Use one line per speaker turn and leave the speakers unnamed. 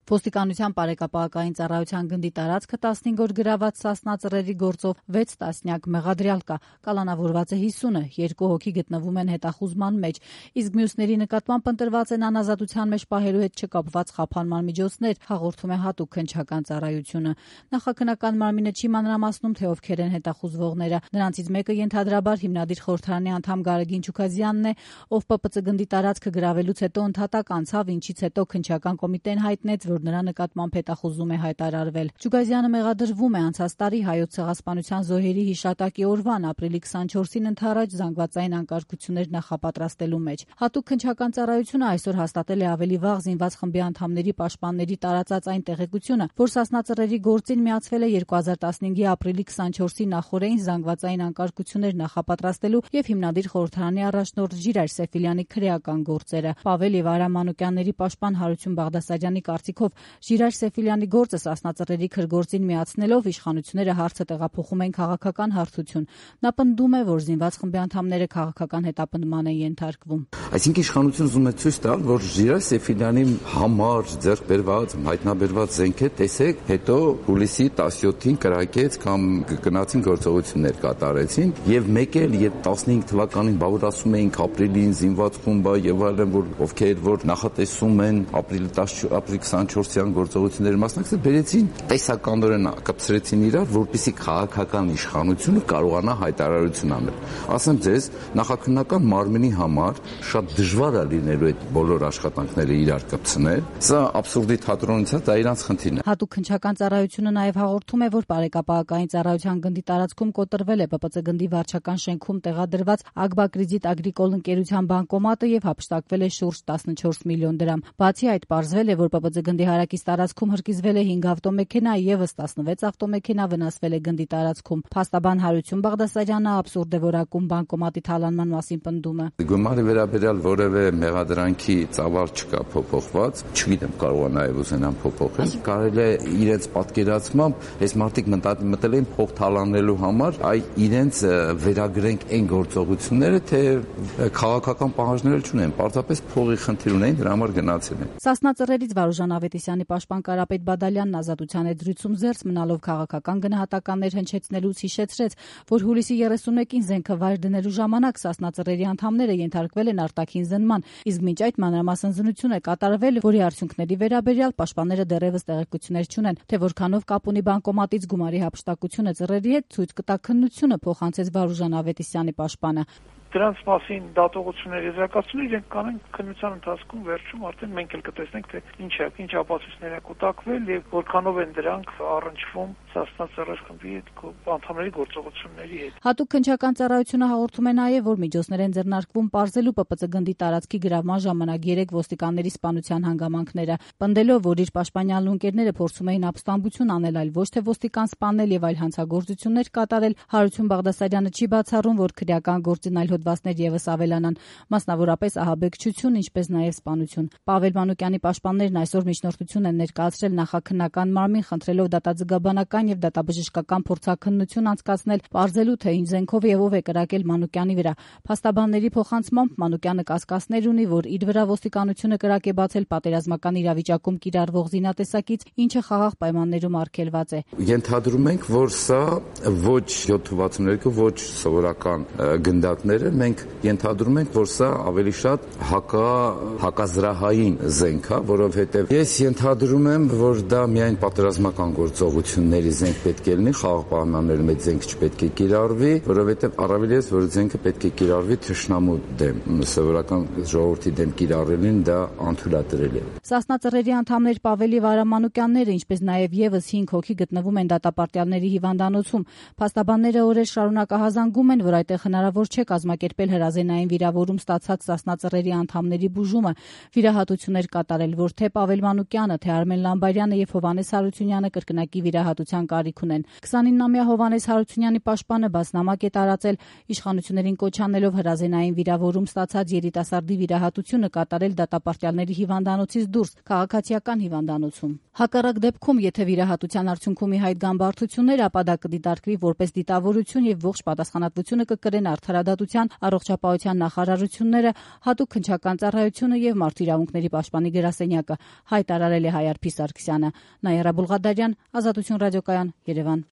Ոստիկանության բարեկապահական ծառայության գնդի տարածքը 15 օր գրաված Սասնա ծռերի գործով 6 տասնյակ մեղադրյալ կա, կալանավորված է 50-ը, 2 հոգի գտնվում են հետախուզման մեջ, իսկ մյուսների նկատմամբ ընտրված են անազատության մեջ պահելու հետ չկապված խափանման միջոցներ, հաղորդում է հատուկ քննչական ծառայությունը։ Նախաքննական մարմինը չի մանրամասնում, թե ովքեր են հետախուզվողները։ Նրանցից մեկը ենթադրաբար հիմնադիր խորհրդարանի անդամ Գարեգին Չուքազյանն է, ով ՊՊՑ գնդի տարածքը գրավելուց հետո ընդհատակ անցավ, ինչից հետո քննչական կոմիտեն հայտնեց, որ նրա նկատմամբ հետախուզում է հայտարարվել։ Չուքազյանը մեղադրվում է անցած տարի Հայոց ցեղասպանության զոհերի հիշատակի օրվան ապրիլի 24-ին ընդառաջ զանգվածային անկարգություններ նախապատրաստելու մեջ։ Հատուկ քննչական ծառայությունը այսօր հաստատել է ավելի վաղ զինված խմբի անդամների պաշտպանների տարածած այն տեղեկությունը, որ Սասնա ծռերի գործին միացվել է 2015-ի ապրիլի 24-ի նախօրեին զանգվածային անկարգություններ նախապատրաստելու եւ հիմնադիր խորհրդարանի առաջնորդ Ժիրայր Սեֆիլյանի քրեական գործերը։ Պավել եւ Արամ Մանուկյանների պաշտպան Հարություն Բաղդասարյանի կարծիքով Ժիրայր Սեֆիլյանի գործը Սասնա ծռերի քրգործին միացնելով իշխանությունները հարցը տեղափոխում են քաղաքական հարթություն։ Նա պնդում է, որ զինված խմբի անդամները քաղաքական հետապնդման են ենթարկվում։
Այսինքն իշխանությունը ուզում է ցույց տալ, որ Ժիրայր Սեֆիլյանի համար ձեռք բերված, հայտնաբերված զենքը տեսեք, հետո հուլիսի 17-ին կրակեց կամ գնացին գործողություններ կատարեցին եւ մեկ էլ եւ 15 թվականին բավարարում էինք ապրիլին զինված խումբը եւ այլն, որ ովքեր որ նախատեսում են ապրիլի 24-յան գործողությունների մասնակցել, բերեցին տեսականորեն կապցրեցին իրար, որպեսզի քաղաքական իշխանությունը կարողանա հայտարարություն անել։ Ասեմ ձեզ, նախաքննական մարմինի համար շատ դժվար է լինելու այդ բոլոր աշխատանքները իրար կպցնել։ Սա աբսուրդի թատրոնից է, դա իրանց խնդիրն է։
Հատուկ քննչական ծառայությունը նաև հաղորդում է, որ բարեկապահական ծառայության գնդի տարածքում կոտրվել է ՊՊՑ գնդի վարչական շենքում տեղադրված Ագբակրիզիտ Ագրիկոլ ընկերության բանկոմատը եւ հափշտակվել է շուրջ 14 միլիոն դրամ։ Բացի այդ, պարզվել է, որ ՊՊՑ գնդի հարակից տարածքում հրկիզվել է 5 ավտոմեքենա եւս 16 ավտոմեքենա վնասվել է գնդի տարածքում։ Փաստաբան Հարություն Բաղդասարյանը աբսուրդ է որակում բանկոմատի թալանման մասին պնդումը։
Գումարի վերաբերյալ որևէ մեղադրանքի ծավալ չկա փոփոխված, չգիտեմ կարող է նաեւ ուզենան փոփոխել։ Կարելի է իրենց պատկերացմամբ այս մարդիկ մտել են փող թալանելու համար, այ իրենց վերագրենք այն գործողությունները, թե քաղաքական պահանջներ չունեն, պարզապես փողի խնդիր ունեն, դրա համար գնացել են։
Սասնա ծռերից Վարուժան Ավետիսյանի պաշտպան Կարապետ Բադալյանն ազատության հետ զրույցում զերծ մնալով քաղաքական գնահատականներ հնչեցնելուց հիշեցրեց, որ հուլիսի 31-ին զենքը վայր դնելու ժամանակ Սասնա ծռերի անդամները ենթարկվել են արտաքին զննման, իսկ մինչ այդ մանրամասն զննություն է կատարվել, որի արդյունքների վերաբերյալ պաշտպանները դեռևս տեղեկություններ չունեն, թե որքանով կապ ունի բանկոմատից գումարի հափշտակությունը ծռերի հետ ցույց կտա քննությունը, փոխանցեց Վարուժան Ավետիսյանի պաշտպանը։
Դրանց մասին դատողություններ եզրակացնում իրենք կանեն քննության ընթացքում վերջում արդեն մենք էլ կտեսնենք թե ինչ ապացույցներ են կուտակվել եւ որքանով են դրանք առնչվում Սասնա ծռեր խմբի անդամների գործողությունների հետ։
Հատուկ քննչական ծառայությունը հաղորդում է նաեւ, որ միջոցներ են ձեռնարկվում պարզելու ՊՊՑ գնդի տարածքի գրավման ժամանակ 3 ոստիկանների սպանության հանգամանքները, պնդելով, որ իր պաշտպանյալ ընկերները փորձում էին ապստամբություն անել, այլ ոչ թե ոստիկան սպանել եւ այլ հանցագործություններ կատարել, Հարություն Բաղդասարյանը չի բացառում, որ քրեական գործին այլ հոդվածներ եւս ավելանան, մասնավորապես ահաբեկչություն, ինչպես նաեւ սպանություն։ Պավել Մանուկյանի պաշտպաններն այսօր միջնորդություն են ներկայացրել նախաքննական մարմին, խնդրելով դատաձգաբանական եւ դատաբժշկական փորձաքննություն անցկացնել, պարզելու թե ինչ զենքով եւ ով է կրակել Մանուկյանի վրա։ Փաստաբանների փոխանցմամբ Մանուկյանը կասկածներ ունի, որ իր վրա ոստիկանությունը կրակ է բացել պատերազմական իրավիճակում կիրառվող զինատեսակից, ինչը խաղաղ պայմաններում արգելված է։
Ենթադրում ենք, որ սա ոչ 762, ոչ սովորական գնդակներ է, մենք ենթադրում ենք, որ սա ավելի շատ հակազրահային զենք է, որովհետև ես ենթադրում եմ, որ դա միայն պատերազմական գործողությունների զենք պետք է լինի, խաղաղ պայմաններում այդ զենք չպետք է կիրառվի, որովհետև առավել ես, որ զենքը պետք է կիրառվի թշնամու դեմ, սովորական ժողովրդի դեմ կիրառելին դա անթույլատրելի է։
Սասնա ծռերի անդամներ Պավելի Վարամանուկյանները, ինչպես նաև եւս 5 հոգի գտնվում են դատապարտյալների հիվանդանոցում։ Փաստաբանները օրեր շարունակ ահազանգում են, որ այդտեղ հնարավոր չէ կազմակերպել հրազենային վիրավորում ստացած Սասնա ծռերի անդամների բուժումը, վիրահատություններ կատարել, որ թե Պավել Մանուկյանը, թե Արմեն Լամբարյանը եւ Հովհաննես Հարությունյանը կրկնակի վիրահատության կարիք ունեն։ 29-ամյա Հովհաննես Հարությունյանի պաշտպանը բացնամակ է տարածել, իշխանություններին կոչ անելով հրազենային վիրավորում ստացած երիտասարդի վիրահատությունը կատարել դատապարտյալների հիվանդանոցից դուրս, քաղաքացիական հիվանդանոցում։ Հակառակ դեպքում, եթե վիրահատության արդյունքում ի հայտ գան բարդություններ, ապա դա կդիտարկվի որպես դիտավորություն եւ ողջ պատասխանատվությունը կկրեն արդարադատության առողջապահության նախարարությունները, հատուկ քննչական ծառայությունը եւ Մարդու իրավունքների պաշտպանի գրասենյակը, հայտարարել է Հայ Արփի Սարգսյանը։ Նաիրա Բուլղադարյան, Ազատություն ռադիոկայան, Երևան։